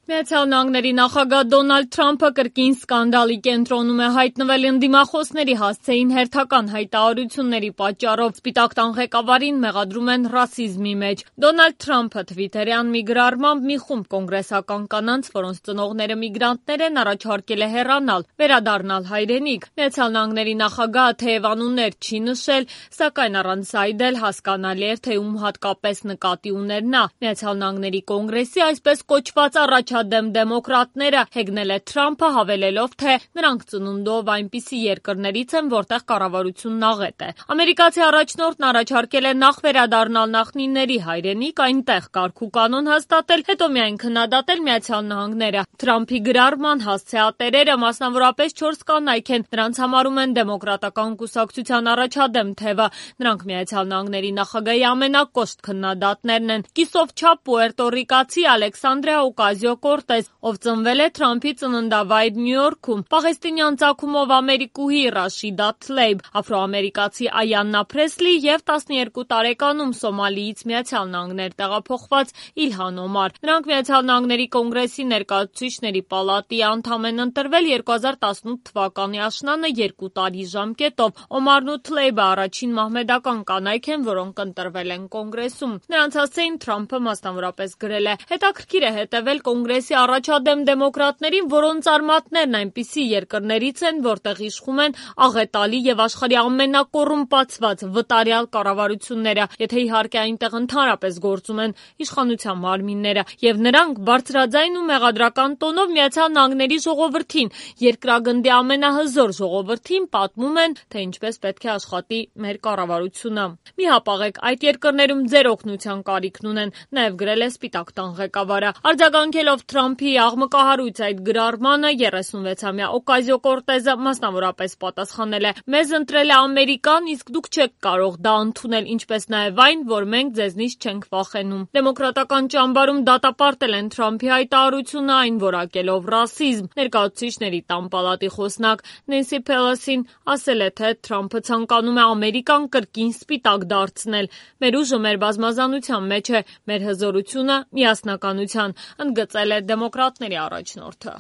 Միացյալ Նահանգների նախագահ Դոնալդ Թրամփը կրկին սկանդալի կենտրոնում է հայտնվել ընդդիմախոսների հասցեին հերթական հայտարարությունների պատճառով։ Սպիտակ տան ղեկավարին մեղադրում են ռասիզմի մեջ։ Դոնալդ Թրամփը թվիթերյան մի գրառմամբ մի խումբ կոնգրեսական կանանց, որոնց ծնողները միգրանտներ են, առաջարկել է հեռանալ, վերադառնալ հայրենիք։ Միացյալ Նահանգների նախագահը թեև անուններ չի նշել, սակայն առանց այդել հասկանալի էր, թե ում հատկապես նկատի ուներ նա։ Միացյալ Նահանգների կոնգրեսի այսպես կոչված առաջադեմ դեմոկրատները հեգնել է Թրամփը, հավելելով, թե նրանք ծնունդով այնպիսի երկրներից են, որտեղ կառավարությունն աղետ է։ Ամերիկացի առաջնորդն առաջարկել է նախ վերադառնալ նախնիների հայրենիք, այնտեղ կարգ ու կանոն հաստատել, հետո միայն քննադատել Միացյալ Նահանգները։ Թրամփի գրառման հասցեատերերը մասնավորապես 4 կանայք են, նրանց համարում են դեմոկրատական կուսակցության առաջադեմ թևը։ Նրանք Միացյալ Նահանգների նախագահի ամենակոշտ քննադատներն են։ Կիսով չափ պուերտո ռիկացի Ալեքսանդրիա Օկազիո-Կորտես, ով ծնվել է Թրամփի ծննդավայր Նյու Յորքում, պաղեստինյան ծագումով ամերիկուհի Ռաշիդա Թլեյբ, աֆրոամերիկացի Այաննա Փրեսլի և 12 տարեկանում Սոմալիից Միացյալ Նահանգներ տեղափոխված Իլհան Օմար։ Նրանք Միացյալ Նահանգների կոնգրեսի ներկայացուցիչների պալատի անդամ են ընտրվել 2018 թվականի աշնանը 2 տարի ժամկետով։ Օմարն ու Թլեյբը առաջին մահմեդական կանայք են, որոնք ընտրվել են կոնգրեսում։ Նրանց հասցեին Թրամփը մասնավորապես գրել է. հետաքրքիր է հետևել կոնգրեսի առաջադեմ դեմոկրատներին, որոնց արմատներն այնպիսի երկրներից են, որտեղ իշխում են աղետալի եւ աշխարհի ամենակոռումպացված վտարյալ կառավարությունները, եթե իհարկե այնտեղ ընդհանրապես գործում են իշխանության մարմինները, եւ նրանք բարձրաձայն ու մեղադրական տոնով Միացյալ Նահանգների ժողովրդին, երկրագնդի ամենահզոր ժողովրդին պատմում են, թե ինչպես պետք է աշխատի մեր կառավարությունը։ Մի հապաղեք, այդ երկրներում ձեր օգնության կարիքն ունեն, նաեւ գրել է Սպիտակ տան ղեկավարը։ Արձագանքելով Թրամփի աղմկահարույց այդ գրառմանը 36-ամյա Օկազիո-Կորտեզը մասնավորապես պատասխանել է. մեզ ընտրել է Ամերիկան, իսկ դուք չեք կարող դա ընդունել, ինչպես նաև այն, որ մենք ձեզնից չենք վախենում։ Դեմոկրատական ճամբարում դատապարտել են Թրամփի հայտարարությունը, այն որակելով ռասիզմ։ Ներկայացուցիչների տան պալատի խոսնակ Նենսի Փելոսին ասել է, թե Թրամփը ցանկանում է Ամերիկան կրկին սպիտակ դարձնել։ Մեր ուժը մեր բազմազանության մեջ է, մեր հզորությունը միասնականության, ընդգծել է դեմոկրատների առաջնորդը։